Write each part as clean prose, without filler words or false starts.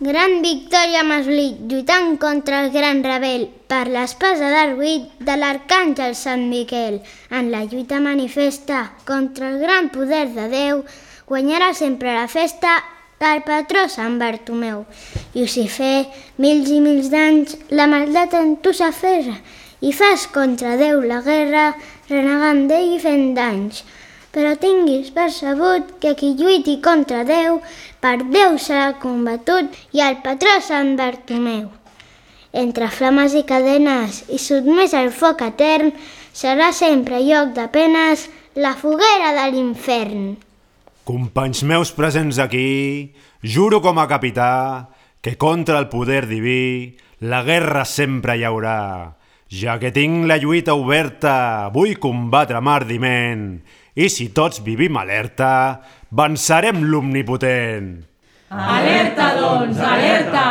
Gran victòria Maslit, lluitant contra el gran rebel per l'espasa d'Arguit de l'arcàngel Sant Miquel. En la lluita manifesta contra el gran poder de Déu, guanyarà sempre la festa del patró Sant Bartomeu. Llucifer, mils i mils d'anys, la maldat en tu s'aferra i fas contra Déu la guerra, renegant d'ell i fent danys. Però tinguis percebut que qui lluiti contra Déu, per Déu serà combatut i el patró Sant Bartomeu. Entre flames i cadenes i sotmès al foc etern, serà sempre lloc de penes la foguera de l'infern. Companys meus presents aquí, juro com a capità que contra el poder diví la guerra sempre hi haurà. Ja que tinc la lluita oberta, vull combatre amb ardiment, i si tots vivim alerta, vencerem l'omnipotent. Alerta, doncs, alerta!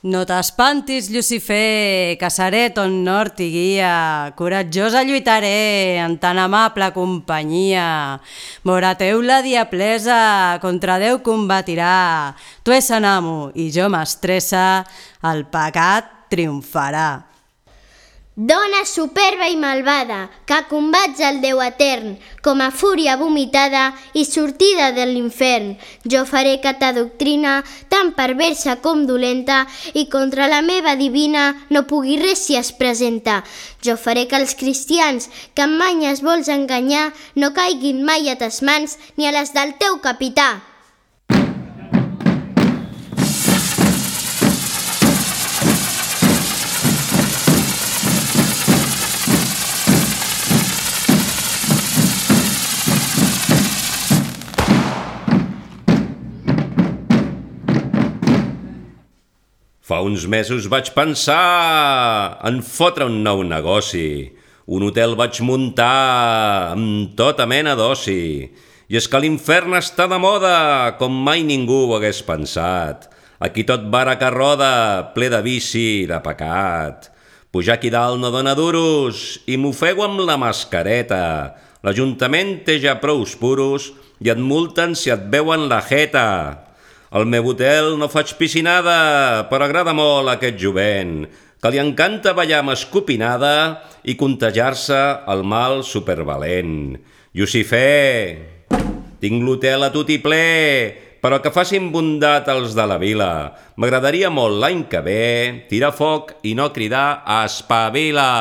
No t'espantis, Llucifer, que seré ton nord i guia. Coratjosa lluitaré en tan amable companyia. Vora teu la diablesa contra Déu combatirà. Tu és en amo i jo mestressa, el pecat triomfarà. Dona superba i malvada, que combats el Déu etern, com a fúria vomitada i sortida de l'infern. Jo faré que ta doctrina, tan perversa com dolenta, i contra la meva divina no pugui res si es presenta. Jo faré que els cristians, que amb manyes vols enganyar, no caiguin mai a tes mans ni a les del teu capità. Fa uns mesos vaig pensar en fotre un nou negoci. Un hotel vaig muntar amb tota mena d'oci. I és que l'infern està de moda, com mai ningú ho hagués pensat. Aquí tot vara que roda, ple de vici i de pecat. Pujar aquí dalt no dona duros i m'ofego amb la mascareta. L'Ajuntament té ja prous puros i et multen si et veuen la jeta. Al meu hotel no faig piscinada, però agrada molt aquest jovent, que li encanta ballar amb escopinada i contagiar-se el mal supervalent. Llucifer, tinc l'hotel a tot i ple, però que facin bondat els de la vila. M'agradaria molt l'any que ve tirar foc i no cridar a espavila.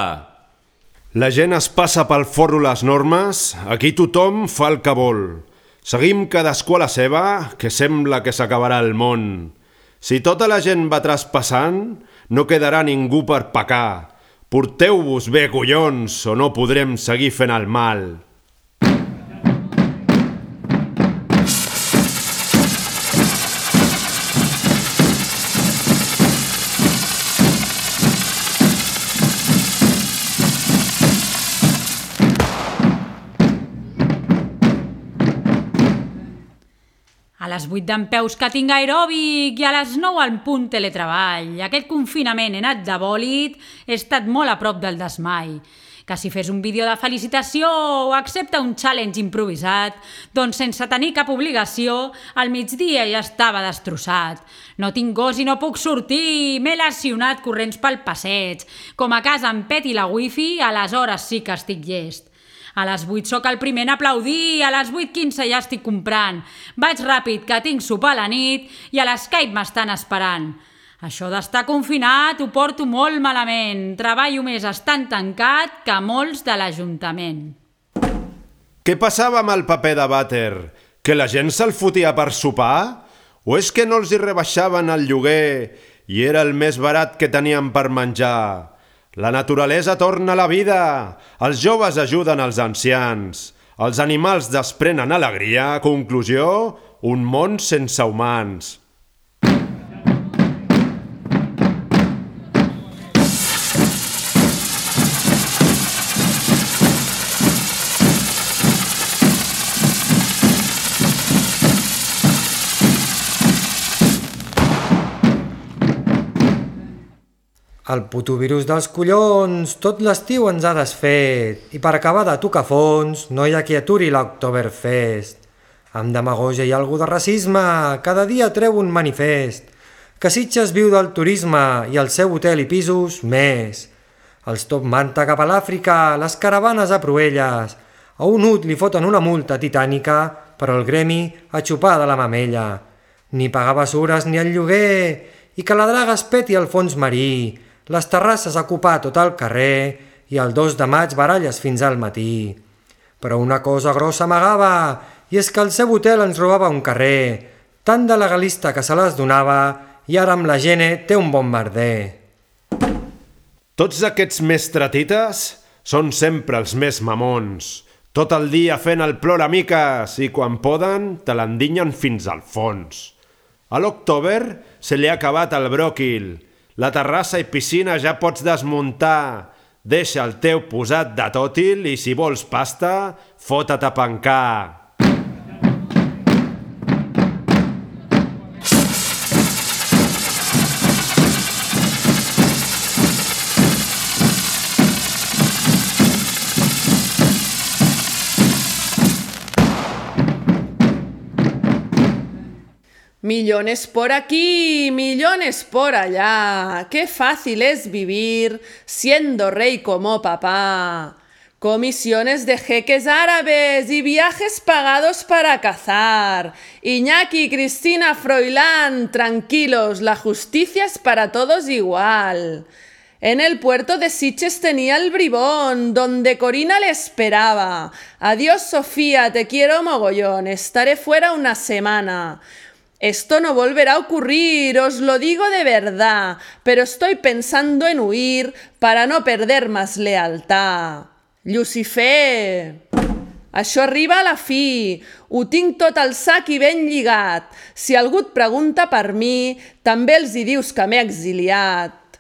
La gent es passa pel forro les normes, aquí tothom fa el que vol. Seguim cadascú a la seva, que sembla que s'acabarà el món. Si tota la gent va traspassant, no quedarà ningú per pecar. Porteu-vos bé, collons, o no podrem seguir fent el mal. A les 8 dempeus que tinc aeròbic i a les 9 al punt teletreball. Aquest confinament he anat de bòlit, he estat molt a prop del desmai. Que si fes un vídeo de felicitació o accepta un challenge improvisat, doncs sense tenir cap obligació, al migdia ja estava destrossat. No tinc gos i no puc sortir, m'he lesionat corrents pel passeig. Com a casa em peti la wifi, aleshores sí que estic llest. A les 8 sóc el primer en aplaudir, a les 8:15 ja estic comprant. Vaig ràpid, que tinc sopar a la nit i a l'Skype m'estan esperant. Això d'estar confinat ho porto molt malament. Treballo més estant tancat que molts de l'Ajuntament. Què passava amb el paper de vàter? Que la gent se'l fotia per sopar? O és que no els hi rebaixaven el lloguer i era el més barat que tenien per menjar? La naturalesa torna a la vida, els joves ajuden els ancians, els animals desprenen alegria, conclusió, un món sense humans. El puto virus dels collons tot l'estiu ens ha desfet i per acabar de tocar fons no hi ha qui aturi l'Oktoberfest. Amb demagogia i algú de racisme cada dia treu un manifest que Sitges viu del turisme i el seu hotel i pisos més. Els top manta cap a l'Àfrica, les caravanes a Proelles. A un ut li foten una multa titànica, però el gremi a xupar de la mamella. Ni pagar bessures ni el lloguer, i que la draga es peti al fons marí, les terrasses a ocupar tot el carrer i el 2 de maig baralles fins al matí. Però una cosa grossa amagava, i és que el seu hotel ens robava un carrer, tan de legalista que se les donava, i ara amb la Gene té un bon merder. Tots aquests mestratites són sempre els més mamons. Tot el dia fent el ploramiques i quan poden te l'endinyen fins al fons. A l'October se li ha acabat el bròquil. La terrassa i piscina ja pots desmuntar. Deixa el teu posat de tòtil i si vols pasta, fota't a pencar. Millones por aquí, millones por allá. Qué fácil es vivir siendo rey como papá. Comisiones de jeques árabes y viajes pagados para cazar. Iñaki, Cristina, Froilán, tranquilos, la justicia es para todos igual. En el puerto de Sitges tenía el bribón, donde Corina le esperaba. Adiós, Sofía, te quiero mogollón, estaré fuera una semana. Esto no volverá a ocurrir, os lo digo de verdad, pero estoy pensando en huir para no perder más lealtad. Llucifer, això arriba a la fi, ho tinc tot al sac i ben lligat. Si algú et pregunta per mi, també els hi dius que m'he exiliat.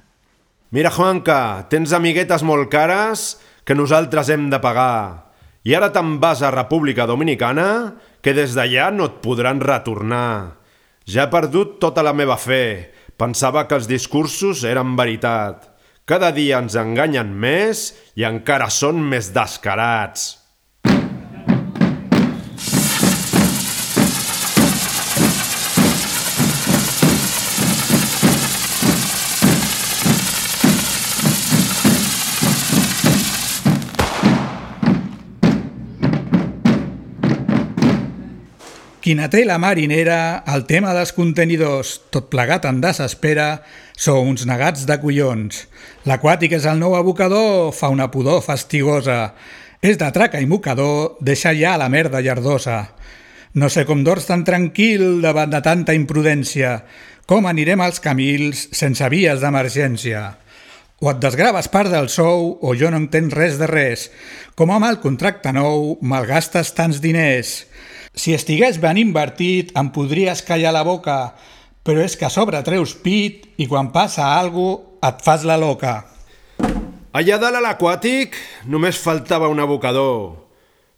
Mira, Juanca, tens amiguetes molt cares que nosaltres hem de pagar. I ara te'n vas a República Dominicana, que des d'allà no et podran retornar. Ja he perdut tota la meva fe. Pensava que els discursos eren veritat. Cada dia ens enganyen més i encara són més descarats. Quina té la marinera, el tema dels contenidors, tot plegat en desespera, sou uns negats de collons. L'aquàtic és el nou abocador, fa una pudor fastigosa. És de traca i mocador, deixa ja la merda llardosa. No sé com dors tan tranquil davant de tanta imprudència. Com anirem als camils sense vies d'emergència? O et desgraves part del sou o jo no entenc res de res. Com amb el contracte nou malgastes tants diners. Si estigués ben invertit em podries callar la boca, però és que a sobre treus pit i quan passa alguna cosa et fas la loca. Allà dalt a l'aquàtic només faltava un abocador.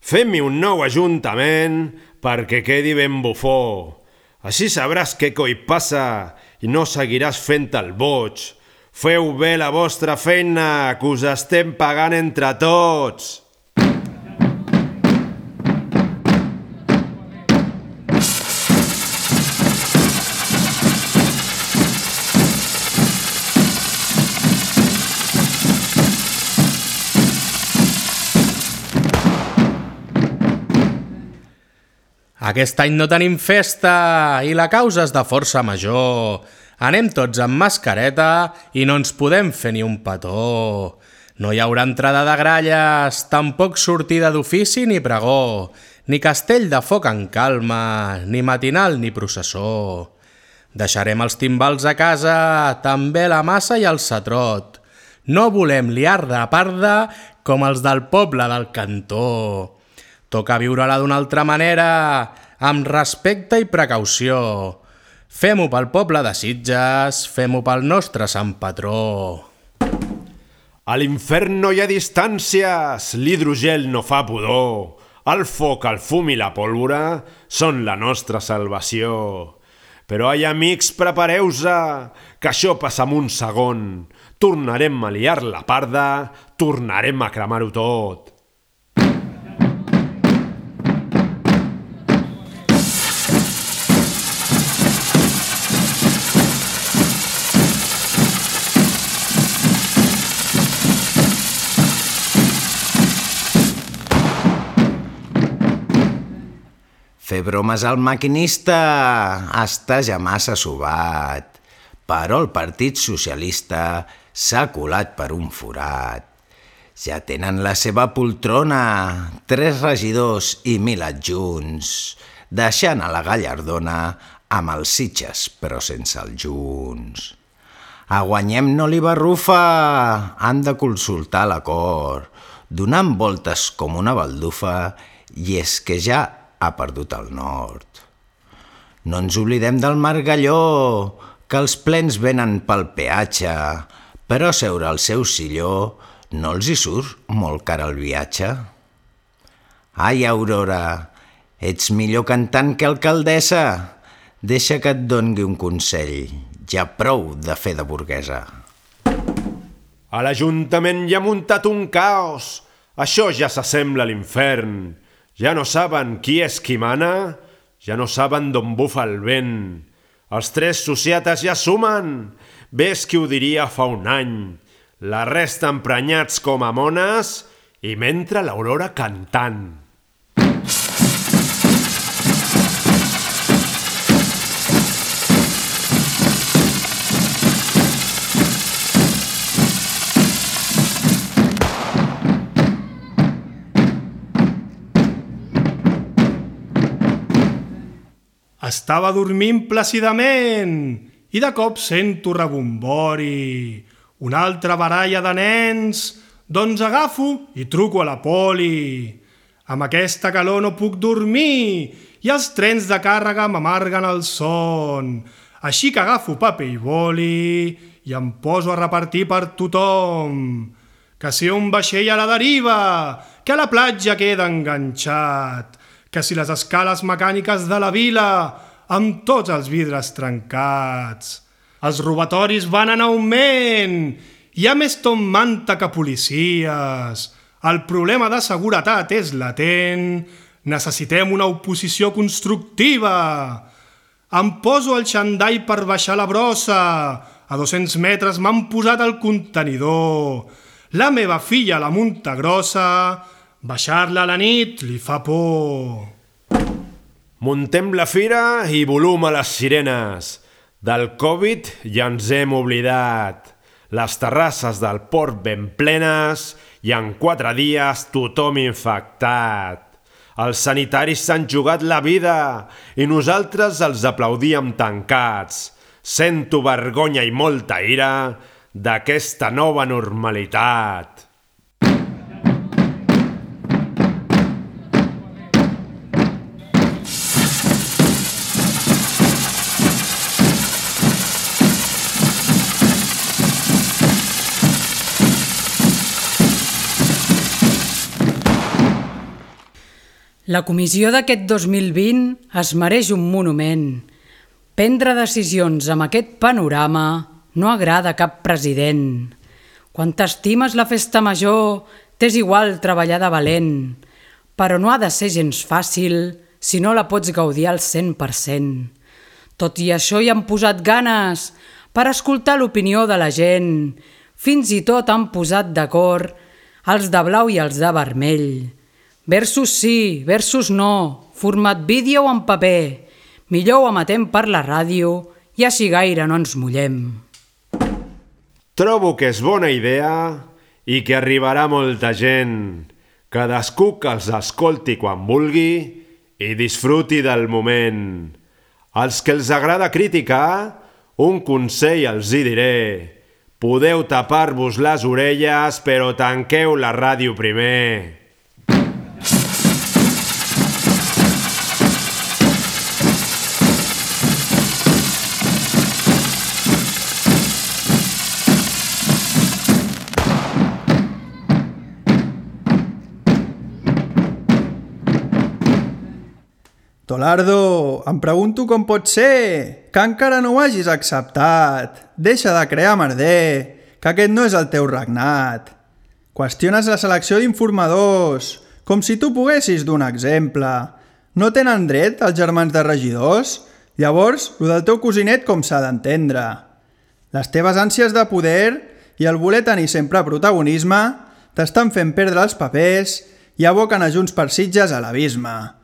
Fem-hi un nou ajuntament perquè quedi ben bufó. Així sabràs què coi passa i no seguiràs fent el boig. Feu bé la vostra feina, que us estem pagant entre tots. Aquest any no tenim festa i la causa és de força major. Anem tots amb mascareta i no ens podem fer ni un petó. No hi haurà entrada de gralles, tampoc sortida d'ofici ni pregó, ni castell de foc en calma, ni matinal ni processó. Deixarem els timbals a casa, també la massa i el satrot. No volem liar de parda com els del poble del cantó. Toca viure-la d'una altra manera, amb respecte i precaució. Fem-ho pel poble de Sitges, fem-ho pel nostre sant patró. A l'infern no hi ha distàncies, l'hidrogel no fa pudor. El foc, el fum i la pólvora són la nostra salvació. Però, ai, amics, prepareu-se, que això passa en un segon. Tornarem a liar la parda, tornarem a cremar-ho tot. Fer bromes al maquinista està ja massa sobat, però el Partit Socialista s'ha colat per un forat. Ja tenen la seva poltrona, 3 regidors i 1.000 adjunts, deixant a la Gallardona amb els Sitges però sense els Junts. A Guanyem no li barrufa, han de consultar l'acord, donant voltes com una baldufa, i és que ja ha perdut el nord. No ens oblidem del Margalló, que els plens venen pel peatge, però seure al seu silló no els hi surt molt car el viatge. Ai, Aurora, ets millor cantant que alcaldessa. Deixa que et doni un consell, ja prou de fer de burguesa. A l'Ajuntament hi ha muntat un caos, això ja s'assembla a l'infern. Ja no saben qui és qui mana, ja no saben d'on bufa el vent. Els 3 societats ja sumen, ves qui ho diria fa un any. La resta emprenyats com a mones i mentre l'Aurora cantant. Estava dormint plàcidament i de cop sento rebombori. Una altra baralla de nens, doncs agafo i truco a la poli. Amb aquesta calor no puc dormir i els trens de càrrega m'amarguen el son. Així que agafo paper i boli i em poso a repartir per tothom. Que si un vaixell a la deriva, que a la platja queda enganxat, que si les escales mecàniques de la vila amb tots els vidres trencats. Els robatoris van en augment, hi ha més Tom Manta que policies. El problema de seguretat és latent, necessitem una oposició constructiva. Em poso el xandall per baixar la brossa, a 200 metres m'han posat el contenidor. La meva filla la munta grossa, baixar-la a la nit li fa por. Muntem la fira i volum a les sirenes. Del Covid ja ens hem oblidat. Les terrasses del port ben plenes i en 4 dies tothom infectat. Els sanitaris s'han jugat la vida i nosaltres els aplaudíem tancats. Sento vergonya i molta ira d'aquesta nova normalitat. La comissió d'aquest 2020 es mereix un monument. Prendre decisions amb aquest panorama no agrada a cap president. Quan t'estimes la festa major, t'és igual treballar de valent, però no ha de ser gens fàcil si no la pots gaudir al 100%. Tot i això hi han posat ganes per escoltar l'opinió de la gent. Fins i tot han posat d'acord els de blau i els de vermell. Versus sí, versus no, format vídeo o en paper. Millor ho emetem per la ràdio i així gaire no ens mullem. Trobo que és bona idea i que arribarà molta gent. Cadascú que els escolti quan vulgui i disfruti del moment. Als que els agrada criticar, un consell els hi diré. Podeu tapar-vos les orelles, però tanqueu la ràdio primer. Tolardo, em pregunto com pot ser que encara no ho hagis acceptat. Deixa de crear merder, que aquest no és el teu regnat. Qüestiones la selecció d'informadors, com si tu poguessis donar exemple. No tenen dret els germans de regidors? Llavors, lo del teu cosinet com s'ha d'entendre? Les teves ànsies de poder i el voler tenir sempre protagonisme t'estan fent perdre els papers i aboquen a Junts per Sitges a l'abisme.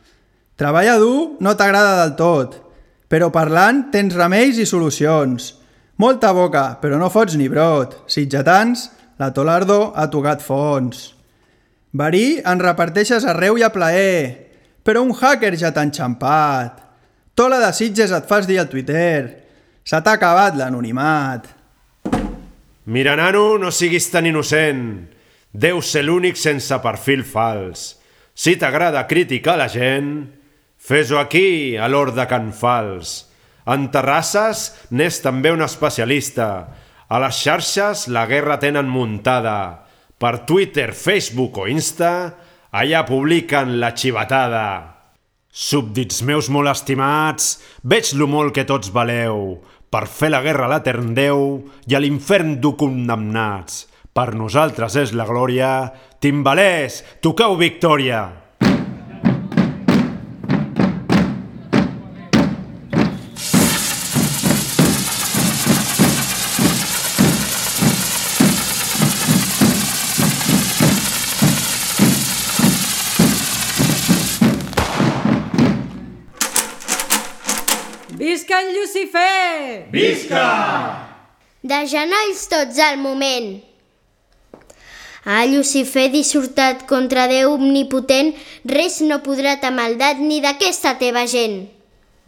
Treballar dur no t'agrada del tot, però parlant tens remeis i solucions. Molta boca, però no fots ni brot. Sitgetans, la Tolardo ha tocat fons. Verí en reparteixes arreu i a plaer, però un hacker ja t'ha enxampat. Tola de Sitges et fas dir al Twitter. Se t'ha acabat l'anonimat. Mira, nano, no siguis tan innocent. Deus ser l'únic sense perfil fals. Si t'agrada criticar la gent, fes-ho aquí, a l'hort de Can Fals. En Terrasses n'és també un especialista. A les xarxes la guerra tenen muntada. Per Twitter, Facebook o Insta, allà publiquen la xivatada. Súbdits meus molt estimats, veig lo molt que tots valeu. Per fer la guerra a l'etern Déu i a l'infern dur condemnats. Per nosaltres és la glòria. Timbalers, toqueu victòria! Visca el Llucifer! Visca! De genolls tots al moment. A Llucifer dissortat contra Déu omnipotent, res no podrà ta maldat ni d'aquesta teva gent.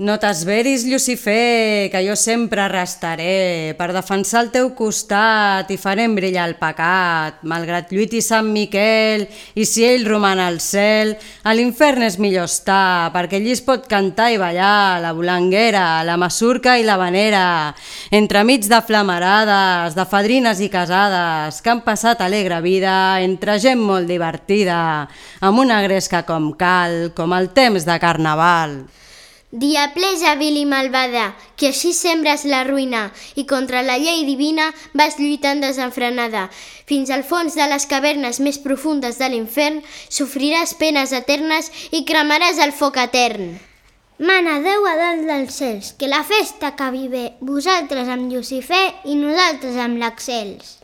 No t'esveris, Llucifer, que jo sempre restaré per defensar el teu costat i farem brillar el pecat. Malgrat lluiti Sant Miquel i si ell roman al cel, a l'infern és millor estar, perquè allí es pot cantar i ballar la volanguera, la masurca i la vanera, entremig de flamarades, de fadrines i casades, que han passat alegre vida entre gent molt divertida, amb una gresca com cal, com el temps de carnaval. Diablesa vil i malvada, que així sembres la ruïna i contra la llei divina vas lluitant desenfrenada. Fins al fons de les cavernes més profundes de l'infern sofriràs penes eternes i cremaràs el foc etern. Mana Déu a dalt dels cels, que la festa acabi bé, vosaltres amb Llucifer i nosaltres amb l'Axels.